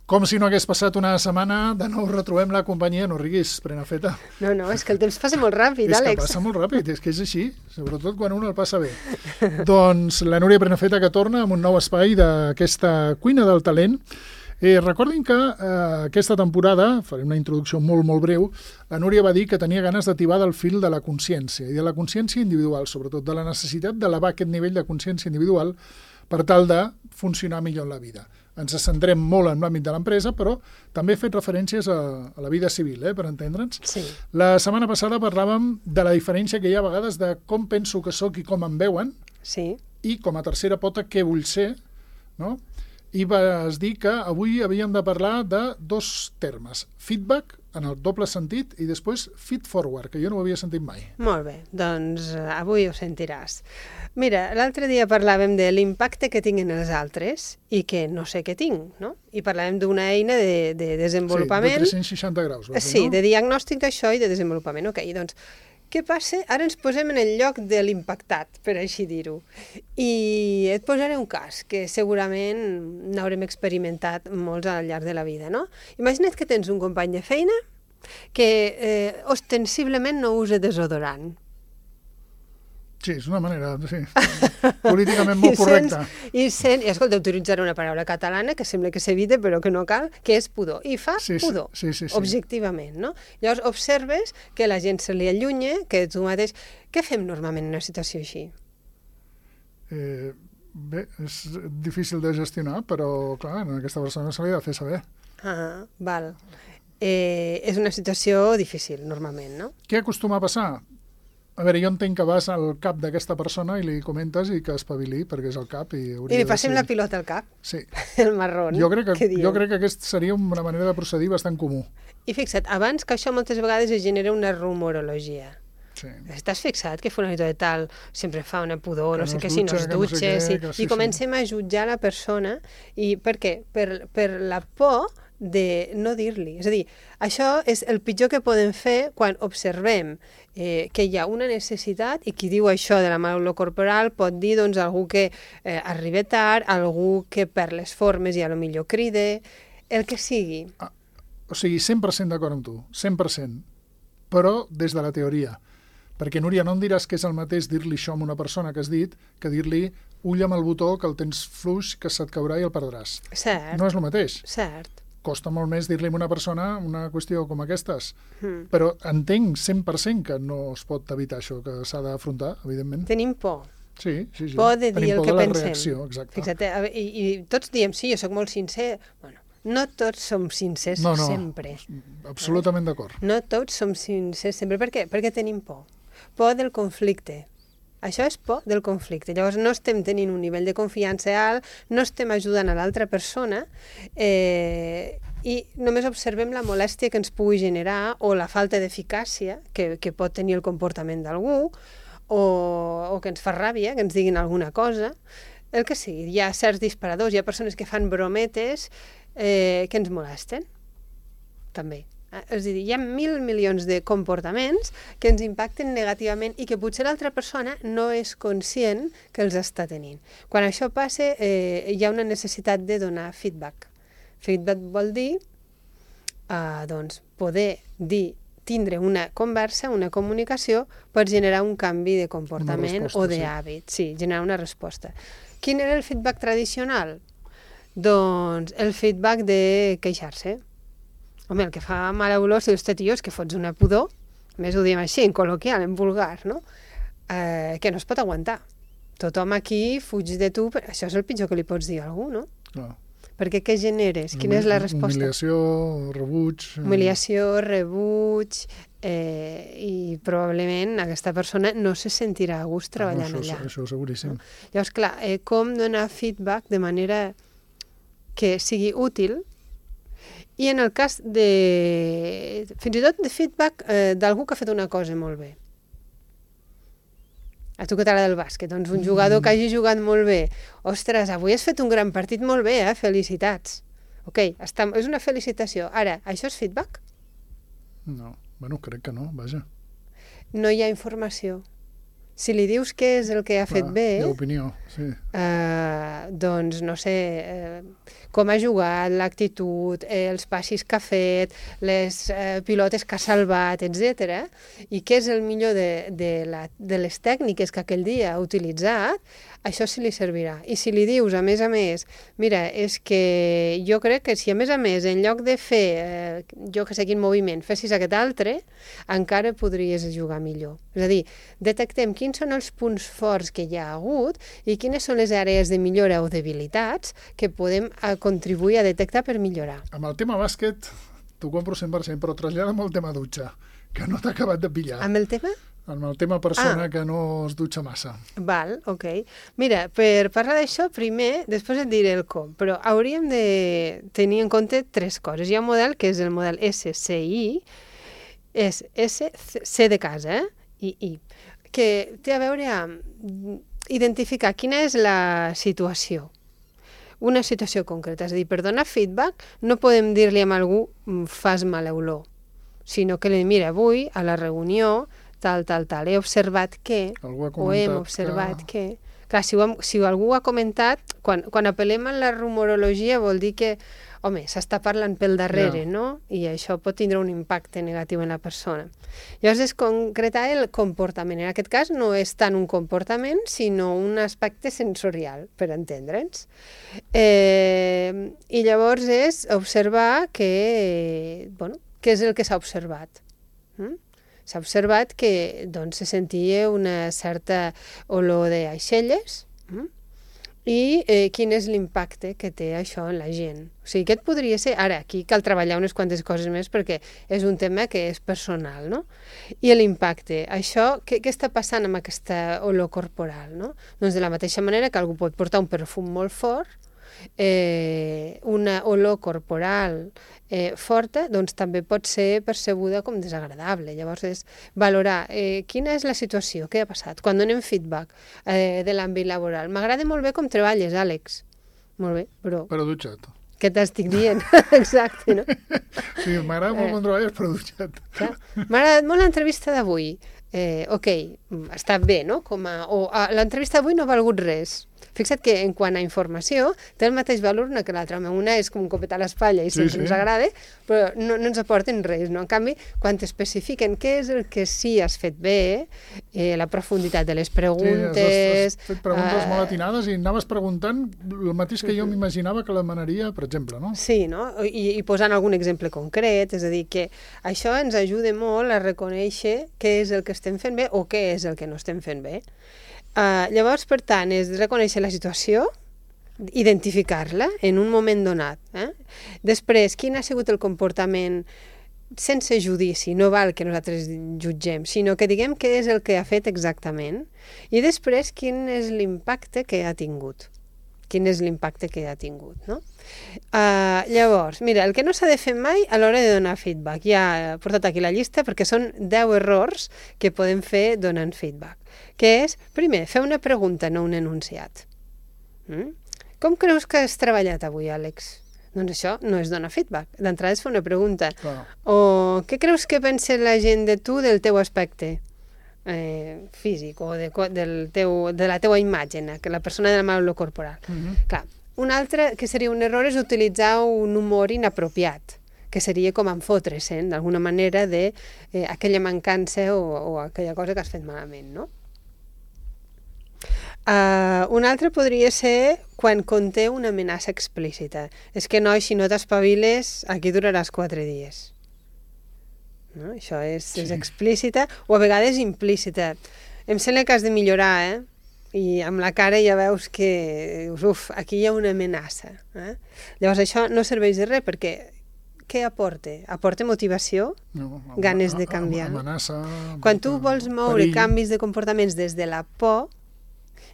Com si no hagués passat una setmana, de nou retrobem la companyia. No riguis, Prenafeta. No, és que el temps passa molt ràpid, És Àlex. que passa molt ràpid, és que és així, sobretot quan un el passa bé. Doncs la Núria Prenafeta que torna amb un nou espai d'aquesta cuina del talent. Recordin que aquesta temporada, faré una introducció molt, molt breu, la Núria va dir que tenia ganes d'atibar del fil de la consciència, i de la consciència individual, sobretot, de la necessitat d'elevar aquest nivell de consciència individual per tal de funcionar millor en la vida. Ens centrem molt en l'àmbit de l'empresa, però també he fet referències a la vida civil, per entendre'ns. Sí. La setmana passada parlàvem de la diferència que hi ha a vegades de com penso que sóc i com em veuen, Sí. i com a tercera pota què vull ser, no? I vas dir que avui havíem de parlar de dos termes, feedback, en el doble sentit, i després feed forward, que jo no ho havia sentit mai. Molt bé, doncs avui ho sentiràs. Mira, l'altre dia parlàvem de l'impacte que tinc en els altres i que no sé què tinc, no? I parlàvem d'una eina de desenvolupament... Sí, de 360 graus. Sí, de diagnòstic d'això i de desenvolupament. Ok, doncs, què passa? Ara ens posem en el lloc de l'impactat, per així dir-ho. I et posaré un cas que segurament n'haurem experimentat molts al llarg de la vida, no? Imagina't que tens un company de feina que ostensiblement no usa desodorant. Sí, és una manera, sí, políticament molt correcta. I escolta, utilitzaré una paraula catalana que sembla que s'evita però que no cal, que és pudor. I fa pudor, sí. objectivament, no? Llavors observes que la gent se li allunya, que tu mateix... Què fem normalment en una situació així? Bé, és difícil de gestionar, però clar, a aquesta persona se li ha de fer saber. Ah, val. És una situació difícil, normalment, no? Què acostuma a passar? A veure, jo entenc que vas al cap d'aquesta persona i li comentes i que espavili, perquè és el cap i hauria I li passem la pilota al cap, sí. el marrón. Jo crec que aquest seria una manera de procedir bastant comú. I fixa't, abans que això moltes vegades es genera una rumorologia. Sí. Estàs fixat que fulanito de tal sempre fa una pudor, no sé què, si no es dutxa, dutxa, i comencem a jutjar la persona. I per què? Per la por de no dir-li. És a dir, això és el pitjor que podem fer quan observem que hi ha una necessitat, i qui diu això de la mal olor corporal pot dir doncs, algú que arriba tard, algú que per les formes i a lo millor cride, el que sigui. O sigui, 100% d'acord amb tu, 100%, però des de la teoria. Perquè, Núria, no em diràs que és el mateix dir-li això a una persona que has dit que dir-li ull amb el botó, que el tens fluix, que se't caurà i el perdràs. Cert. No és el mateix. Cert. Costa molt més dir-li a una persona una qüestió com aquestes. Però entenc 100% que no es pot evitar això, que s'ha d'afrontar, evidentment. Tenim por. Sí. Por de dir el que pensem. Tenim por de la reacció, exacte. Fixa't, i tots diem, sí, jo sóc molt sincer. Bueno, no tots som sincers sempre. Absolutament d'acord. No tots som sincers sempre. Per què? Perquè tenim por. Por del conflicte. Això és por del conflicte. Llavors no estem tenint un nivell de confiança alt, no estem ajudant a l'altra persona i només observem la molèstia que ens pugui generar o la falta d'eficàcia que pot tenir el comportament d'algú o que ens fa ràbia, que ens diguin alguna cosa. El que sigui, hi ha certs disparadors, hi ha persones que fan brometes que ens molesten, també. És a dir, hi ha 1.000 milions de comportaments que ens impacten negativament i que potser l'altra persona no és conscient que els està tenint. Quan això passa, hi ha una necessitat de donar feedback. Feedback vol dir doncs, poder tindre una conversa, una comunicació, per generar un canvi de comportament o d'hàbit. Sí, generar una resposta. Quin era el feedback tradicional? Doncs el feedback de queixar-se. Home, el que fa mala olor, si dius, tio, és que fots una pudor, més ho diem així, en col·loquial, en vulgar, no? Que no es pot aguantar. Tothom aquí fuig de tu, però això és el pitjor que li pots dir a algú, no? Clar. Perquè què generes? Quina és la resposta? Humiliació, rebuig... Humiliació, rebuig, i probablement aquesta persona no se sentirà a gust treballant allà. Això seguríssim. Llavors, clar, com donar feedback de manera que sigui útil. I en el cas de... fins i tot de feedback d'algú que ha fet una cosa molt bé. A tu que t'agrada el bàsquet, doncs un jugador que hagi jugat molt bé. Ostres, avui has fet un gran partit molt bé, felicitats. Ok, és una felicitació. Ara, això és feedback? No, bueno, crec que no, vaja. No hi ha informació. Si li dius què és el que ha fet bé, hi ha opinió, sí. doncs, no sé, com ha jugat, l'actitud, els passis que ha fet, les pilotes que ha salvat, etc. I què és el millor de les tècniques que aquell dia ha utilitzat, això sí li servirà. I si li dius, a més, mira, és que jo crec que si a més, en lloc de fer, jo que sé quin moviment, fessis aquest altre, encara podries jugar millor. És a dir, detectem quins són els punts forts que hi ha hagut i quines són les àrees de millora o debilitats que podem contribuir a detectar per millorar. Amb el tema bàsquet t'ho compro 100%, però trasllada'm el tema dutxa, que no t'ha acabat de pillar. Amb el tema? Amb el tema persona que no es dutxa massa. Val, ok. Mira, per parlar d'això, primer, després et diré el com, però hauríem de tenir en compte 3 coses. Hi ha un model que és el model SCI, és C de casa, I, que té a veure amb identificar quina és la situació, una situació concreta. És a dir, per donar feedback no podem dir-li a algú fas mala olor, sinó que li dic, mira, avui a la reunió tal, he observat que, o hem observat que... Clar, si algú ho ha comentat, quan apel·lem a la rumorologia vol dir que, home, s'està parlant pel darrere, no? I això pot tindre un impacte negatiu en la persona. Llavors és concretar el comportament. En aquest cas no és tant un comportament, sinó un aspecte sensorial, per entendre'ns. I llavors és observar que, bueno, què és el que s'ha observat. S'ha observat que doncs, se sentia una certa olor d'aixelles i quin és l'impacte que té això en la gent. O sigui, aquest podria ser... Ara, aquí cal treballar unes quantes coses més perquè és un tema que és personal, no? I l'impacte. Això, què està passant amb aquesta olor corporal, no? Doncs de la mateixa manera que algú pot portar un perfum molt fort, una olor corporal forta, doncs també pot ser percebuda com desagradable. Llavors és valorar quina és la situació, què ha passat. Quan donem feedback de l'àmbit laboral, m'agrada molt bé com treballes, Àlex. Molt bé, però... Però dutxat. Què t'estic dient? Exacte, no? Sí, m'agrada molt com treballes, però dutxat. M'ha agradat molt l'entrevista d'avui. Ok, està bé, no? L'entrevista d'avui no ha valgut res. Fixa't que en quant a informació té el mateix valor una que l'altra. Una és com un copet a l'espatlla i sempre ens agrada, però no ens aporten res, no? En canvi, quan t'especifiquen què és el que sí has fet bé, la profunditat de les preguntes... Sí, has fet preguntes molt atinades i anaves preguntant el mateix que jo m'imaginava que l'emanaria, per exemple, no? Sí, no? I posant algun exemple concret, és a dir, que això ens ajuda molt a reconèixer què és el que estem fent bé o què és el que no estem fent bé. Llavors, per tant, és reconèixer la situació, identificar-la en un moment donat. Després, quin ha sigut el comportament sense judici, no val que nosaltres jutgem, sinó que diguem què és el que ha fet exactament i després quin és l'impacte que ha tingut. Quin és l'impacte que ha tingut, no? Llavors, mira, el que no s'ha de fer mai a l'hora de donar feedback, ja he portat aquí la llista perquè són 10 errors que podem fer donant feedback, que és, primer, fer una pregunta, no un enunciat. Com creus que has treballat avui, Àlex? Doncs això no és donar feedback, d'entrada és fer una pregunta. O què creus que pensa la gent de tu del teu aspecte físic o de la teua imatge, que la persona de la mala olor corporal? Clar, un altre que seria un error és utilitzar un humor inapropiat, que seria com enfotre-se'n d'alguna manera d'aquella mancança o aquella cosa que has fet malament, no? Un altre podria ser quan conté una amenaça explícita. És que, noi, si no t'espaviles, aquí duraràs 4 dies. No? Això és explícita o a vegades implícita. Em sembla que has de millorar, i amb la cara ja veus que aquí hi ha una amenaça. Llavors això no serveix de res perquè què aporta? Aporta motivació? No, ganes de canviar? Amenaça... Quan tu vols moure canvis de comportaments des de la por,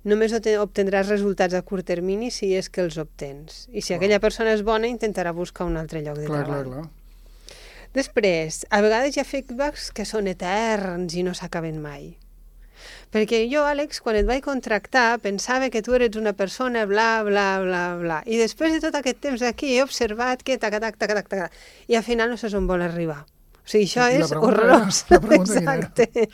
només obtindràs resultats a curt termini si és que els obtens. I si aquella persona és bona, intentarà buscar un altre lloc de treball. Clar. Després, a vegades hi ha feedbacks que són eterns i no s'acaben mai. Perquè jo, Àlex, quan et vaig contractar, pensava que tu eres una persona bla, bla, bla, bla. I després de tot aquest temps aquí he observat que tac, i al final no saps on vol arribar. O sigui, això I la és pregunta horrorós. era- la pregunta quina era? Exacte.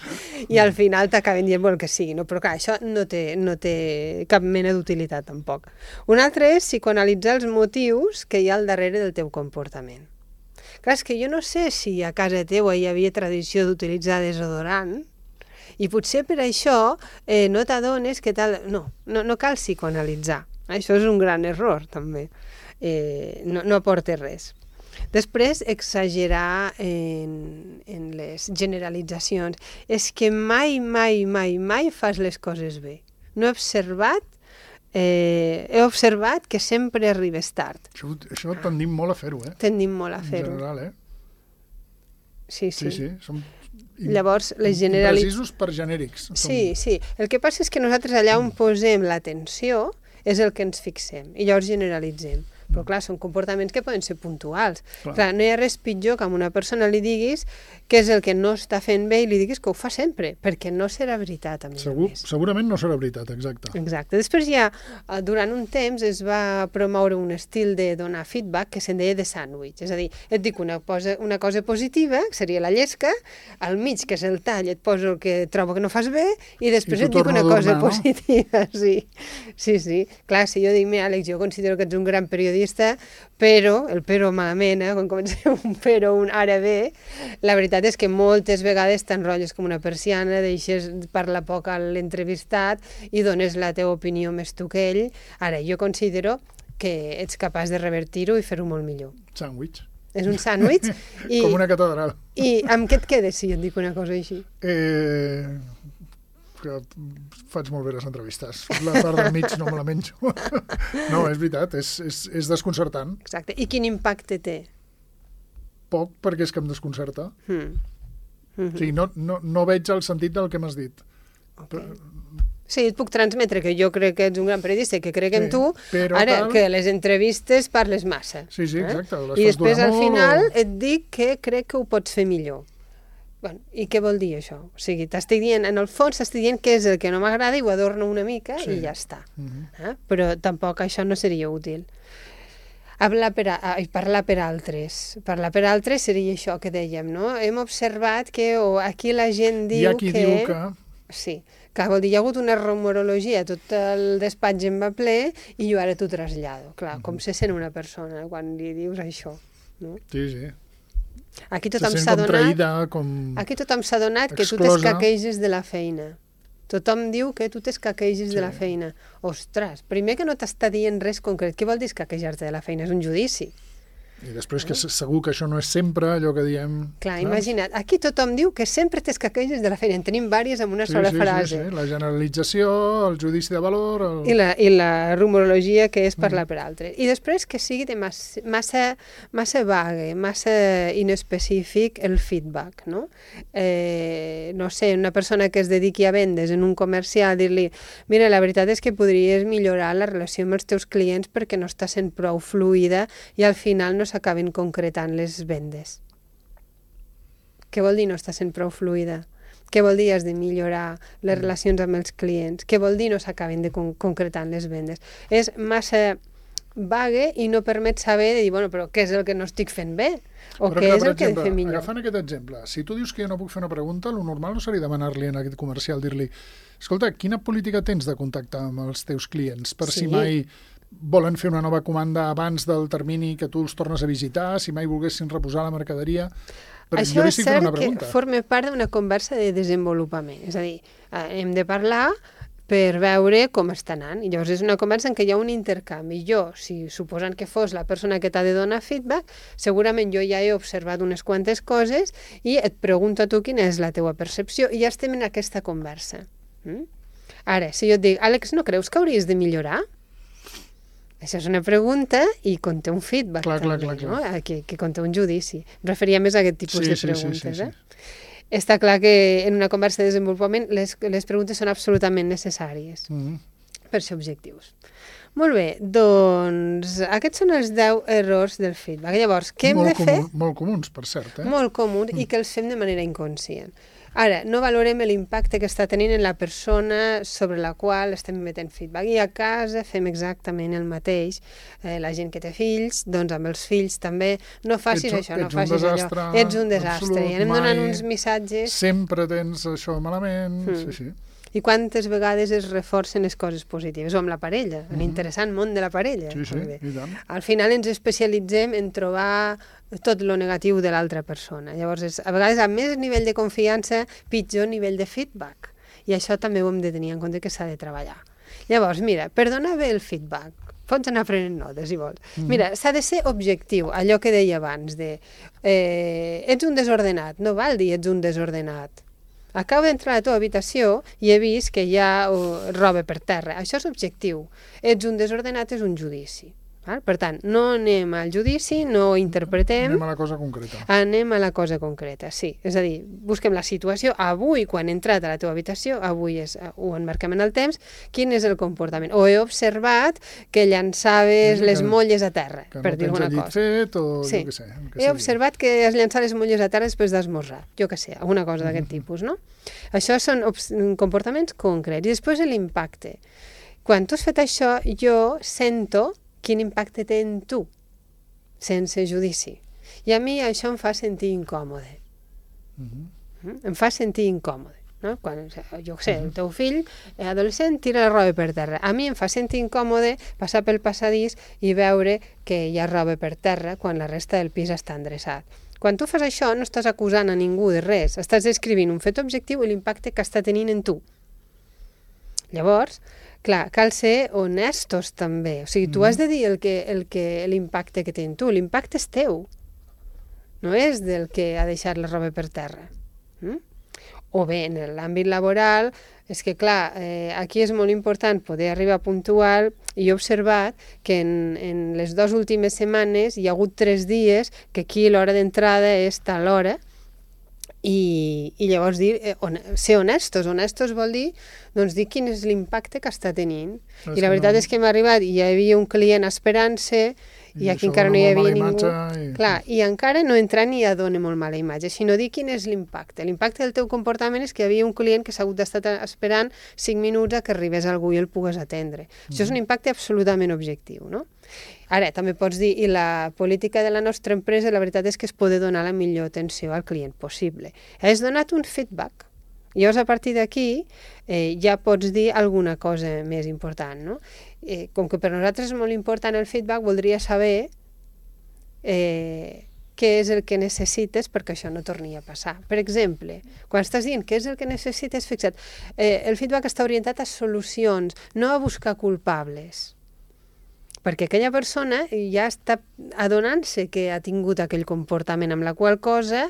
I al final t'acaben dient el que sigui, no? Però clar, això no té cap mena d'utilitat tampoc. Un altre és psicoanalitzar els motius que hi ha al darrere del teu comportament. Clar, és que jo no sé si a casa teua hi havia tradició d'utilitzar desodorant, i potser per això no t'adones que tal... No cal psicoanalitzar. Això és un gran error, també. No aporta res. Després, exagerar en les generalitzacions. És que mai fas les coses bé. No he observat que sempre arribes tard. Això tendim molt a fer-ho, Tendim molt a En fer-ho. general, Sí. Som Llavors, les precisos per genèrics. Sí. El que passa és que nosaltres allà on posem l'atenció és el que ens fixem i llavors generalitzem. Però clar, són comportaments que poden ser puntuals. Clar, no hi ha res pitjor que a una persona li diguis què és el que no està fent bé i li diguis que ho fa sempre, perquè no serà veritat, a més a més. Segurament no serà veritat, exacte. Exacte. Després ja, durant un temps, es va promoure un estil de donar feedback que se'n deia de sàndwich. És a dir, et dic una cosa positiva, que seria la llesca, al mig, que és el tall, et poso el que trobo que no fas bé, i després et dic una cosa positiva. Sí. Clar, si jo dic, mira, Àlex, jo considero que ets un gran periodista, però, el però malament, quan comença un però, un ara bé, la veritat és que moltes vegades t'enrotlles com una persiana, deixes parlar poc a l'entrevistat i dones la teva opinió més tu que ell. Ara, jo considero que ets capaç de revertir-ho i fer-ho molt millor. Sàndwich. És un sàndwich. Com una catedral. I amb què et quedes si jo et dic una cosa així? Que faig molt bé les entrevistes. La part del mig no me la menjo. No, és veritat, és desconcertant. Exacte. I quin impacte té? Poc, perquè és que em desconcerta. O sigui, no veig el sentit del que m'has dit. Sí, et puc transmetre que jo crec que ets un gran periodista i que crec en tu, però ara que a les entrevistes parles massa. Sí, exacte. I després al final et dic que crec que ho pots fer millor. Bueno, i què vol dir això? O sigui, t'estic dient, en el fons t'estic dient què és el que no m'agrada i ho adorno una mica i ja està. Però tampoc això no seria útil. Parlar per altres. Parlar per altres seria això que dèiem, no? Hem observat que aquí la gent diu que... Hi ha qui diu que... Sí, que vol dir, hi ha hagut una rumorologia, tot el despatx em va ple i jo ara t'ho trasllado. Clar, com se sent una persona quan li dius això, no? Sí. Aquí tothom s'ha donat, Aquí tothom s'ha donat que tu t'escaqueges de la feina. Tothom diu que tu t'escaqueges de la feina. Ostres, primer que no t'està dient res concret. Què vol dir escaquejar-te de la feina? És un judici. I després que segur que això no és sempre allò que diem... Clar, imagina't, aquí tothom diu que sempre t'escaqueges de la feina. En tenim vàries amb una sola frase. Sí. La generalització, el judici de valor... I la rumorologia que és parlar per altres. I després que sigui de massa vague, massa inespecífic el feedback, no? No sé, una persona que es dediqui a vendes en un comercial, dir-li, mira, la veritat és que podries millorar la relació amb els teus clients perquè no està sent prou fluida i al final no s'acaben concretant les vendes. Què vol dir no està sent prou fluida? Què vol dir has de millorar les relacions amb els clients? Què vol dir no s'acaben de concretant les vendes? És massa vague i no permet saber de dir, bueno, però què és el que no estic fent bé? O què és el que he de fer millor? Agafant aquest exemple, si tu dius que jo no puc fer una pregunta, el normal no seria demanar-li en aquest comercial, dir-li, escolta, quina política tens de contactar amb els teus clients? Per si mai volen fer una nova comanda abans del termini que tu els tornes a visitar, si mai volguessin reposar la mercaderia... Això és cert que forma part d'una conversa de desenvolupament. És a dir, hem de parlar per veure com està anant. I llavors és una conversa en què hi ha un intercanvi. Jo, si suposant que fos la persona que t'ha de donar feedback, segurament jo ja he observat unes quantes coses i et pregunto a tu quina és la teua percepció i ja estem en aquesta conversa. Ara, si jo et dic, Àlex, no creus que hauries de millorar? Això és una pregunta i conté un feedback també, no? Que conté un judici. Em referia més a aquest tipus de preguntes. Està clar que en una conversa de desenvolupament les preguntes són absolutament necessàries per ser objectius. Molt bé, doncs aquests són els 10 errors del feedback. Llavors, què hem de fer? Molt comuns, per cert. Molt comuns i que els fem de manera inconscient. Ara, no valorem l'impacte que està tenint en la persona sobre la qual estem emetent feedback. I a casa fem exactament el mateix. La gent que té fills, doncs amb els fills també, no facis això, no facis allò. Ets un desastre. I anem donant uns missatges... Sempre tens això malament, sí. I quantes vegades es reforcen les coses positives, o amb la parella, l'interessant món de la parella. Sí, i tant. Al final ens especialitzem en trobar tot lo negatiu de l'altra persona. Llavors, a vegades, a més nivell de confiança, pitjor nivell de feedback. I això també ho hem de tenir en compte que s'ha de treballar. Llavors, mira, per donar bé el feedback, pots anar prenent notes, si vols. Mira, s'ha de ser objectiu, allò que deia abans, de ets un desordenat, no val dir ets un desordenat. Acabo d'entrar a la teva habitació i he vist que hi ha roba per terra. Això és objectiu. Ets un desordenat, és un judici. Per tant, no anem al judici, no interpretem... Anem a la cosa concreta. Anem a la cosa concreta, sí. És a dir, busquem la situació. Avui, quan he entrat a la teva habitació, avui ho enmarquem en el temps, quin és el comportament? O he observat que llançaves les molles a terra, per dir alguna cosa. Que no tens el llit fet, o jo què sé. He observat que has llançat les molles a terra després d'esmorzar, jo què sé, alguna cosa d'aquest tipus, no? Això són comportaments concrets. I després l'impacte. Quan tu has fet això, jo sento quin impacte té en tu, sense judici. I a mi això em fa sentir incòmode. Em fa sentir incòmode. No? Quan, jo sé, el teu fill, adolescent, tira la roba per terra. A mi em fa sentir incòmode passar pel passadís i veure que hi ha roba per terra quan la resta del pis està endreçat. Quan tu fas això, no estàs acusant a ningú de res, estàs descrivint un fet objectiu i l'impacte que està tenint en tu. Llavors, clar, cal ser honestos també. O sigui, tu has de dir l'impacte que té en tu. L'impacte és teu. No és del que ha deixat la roba per terra. O bé, en l'àmbit laboral, és que, clar, aquí és molt important poder arribar puntual i he observat que en les 2 últimes setmanes hi ha hagut 3 dies que aquí l'hora d'entrada és tal hora i llavors dir, ser honestos. Honestos vol dir, doncs, dir quin és l'impacte que està tenint. I la veritat és que m'ha arribat, hi havia un client esperant-se i aquí encara no hi havia ningú. Clar, i encara no entra ni a donar molt mala imatge, sinó dir quin és l'impacte. L'impacte del teu comportament és que hi havia un client que s'ha hagut d'estar esperant 5 minuts a que arribés algú i el pogués atendre. Això és un impacte absolutament objectiu, no? Ara, també pots dir, i la política de la nostra empresa, la veritat és que es poder donar la millor atenció al client possible. Has donat un feedback. Llavors, a partir d'aquí, ja pots dir alguna cosa més important, no? Com que per nosaltres és molt important el feedback, voldria saber què és el que necessites perquè això no torni a passar. Per exemple, quan estàs dient què és el que necessites, fixa't, el feedback està orientat a solucions, no a buscar culpables. Perquè aquella persona ja està adonant-se que ha tingut aquell comportament, amb la qual cosa,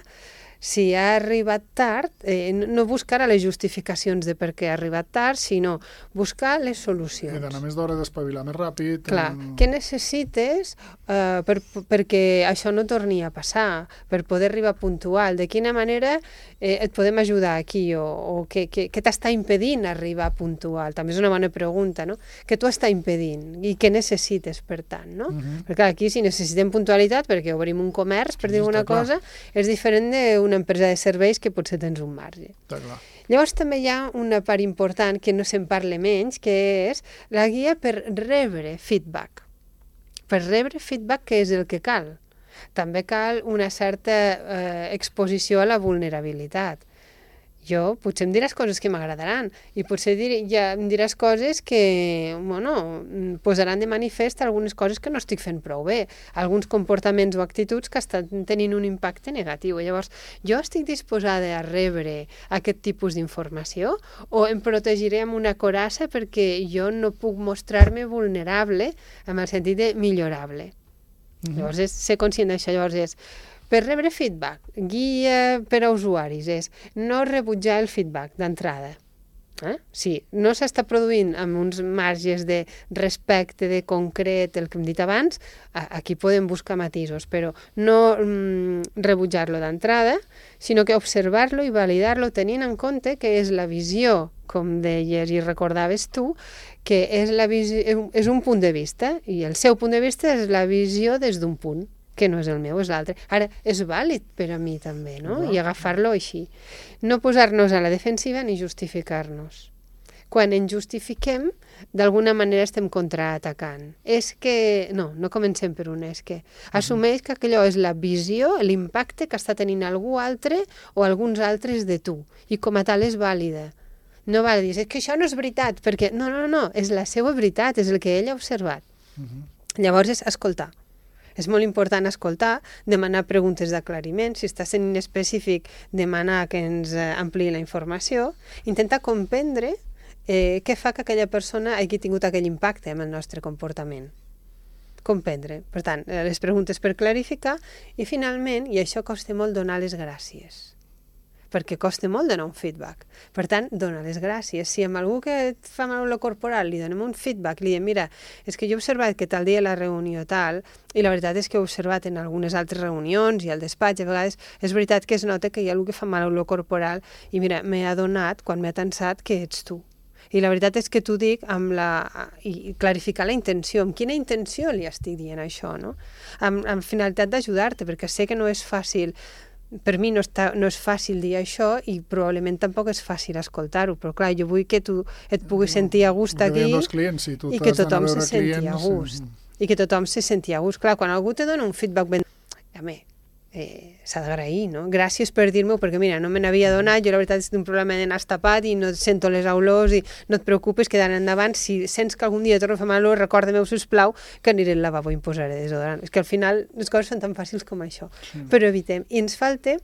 si ha arribat tard, no buscar les justificacions de per què ha arribat tard, sinó buscar les solucions. He d'anar més d'hora, d'espavilar més ràpid. Clar, què necessites perquè això no torni a passar, per poder arribar puntual? De quina manera et podem ajudar aquí? O què t'està impedint arribar puntual? També és una bona pregunta, no? Què t'ho està impedint? I què necessites, per tant, no? Perquè aquí, si necessitem puntualitat, perquè obrim un comerç, per dir alguna cosa, és diferent d'una empresa de serveis que potser tens un marge. Llavors també hi ha una part important que no se'n parla menys, que és la guia per rebre feedback. Per rebre feedback, què és el que cal? També cal una certa exposició a la vulnerabilitat. Jo potser em diràs coses que m'agradaran i potser ja em diràs coses que posaran de manifest algunes coses que no estic fent prou bé, alguns comportaments o actituds que estan tenint un impacte negatiu. Llavors, jo estic disposada a rebre aquest tipus d'informació o em protegiré amb una coraça perquè jo no puc mostrar-me vulnerable en el sentit de millorable. Llavors, ser conscient d'això, llavors és per rebre feedback, guia per a usuaris, és no rebutjar el feedback d'entrada. Si no s'està produint amb uns marges de respecte, de concret, el que hem dit abans, aquí podem buscar matisos, però no rebutjar-lo d'entrada, sinó que observar-lo i validar-lo tenint en compte que és la visió, com deies i recordaves tu, que és un punt de vista, i el seu punt de vista és la visió des d'un punt, que no és el meu, és l'altre. Ara, és vàlid per a mi també, no? I agafar-lo així. No posar-nos a la defensiva ni justificar-nos. Quan ens justifiquem, d'alguna manera estem contraatacant. És que... No comencem per un és que. Assumeix que aquello és la visió, l'impacte que està tenint algú altre o alguns altres de tu. I com a tal és vàlida. No val dir, és que això no és veritat, perquè no, és la seva veritat, és el que ell ha observat. Llavors és escoltar. És molt important escoltar, demanar preguntes d'aclariment, si està sent inespecífic, demanar que ens ampliï la informació, intentar comprendre què fa que aquella persona hagi tingut aquell impacte en el nostre comportament. Comprendre. Per tant, les preguntes per clarificar i finalment, i això costa molt, donar les gràcies. Perquè costa molt donar un feedback. Per tant, donar les gràcies. Si amb algú que et fa mal olor corporal li donem un feedback, li diem, mira, és que jo he observat que tal dia la reunió tal, i la veritat és que he observat en algunes altres reunions i al despatx, a vegades és veritat que es nota que hi ha algú que fa mal olor corporal i mira, m'he adonat, quan m'he tensat, que ets tu. I la veritat és que t'ho dic i clarificar la intenció, amb quina intenció li estic dient això, no? Amb finalitat d'ajudar-te, perquè sé que no és fàcil. Per mi no és fàcil dir això i probablement tampoc és fàcil escoltar-ho, però clar, jo vull que tu et puguis sentir a gust aquí i que tothom se senti a gust. I que tothom se senti a gust. Clar, quan algú te dona un feedback s'ha d'agrair, no? Gràcies per dir-m'ho, perquè mira, no me n'havia donat, jo la veritat és que tinc un problema de nas tapat i no sento les olors i no et preocupis que d'ara endavant, si sents que algun dia torno a fer mal olor, recorda-m'ho, sisplau, que aniré al lavabo i em posaré desodorant. És que al final les coses són tan fàcils com això. Però evitem. I ens falta,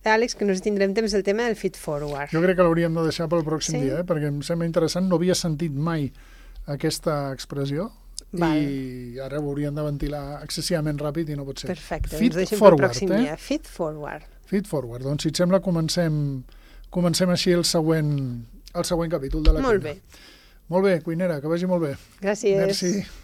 Àlex, que no tindrem temps, el tema del feed forward. Jo crec que l'hauríem de deixar pel pròxim dia, perquè em sembla interessant, no havia sentit mai aquesta expressió. I ara ho hauríem de ventilar excessivament ràpid i no pot ser. Perfecte, ens deixem pel pròxim dia. Feed forward. Feed forward. Doncs si et sembla comencem així el següent capítol de la cuina. Molt bé. Molt bé, cuinera, que vagi molt bé. Gràcies. Merci.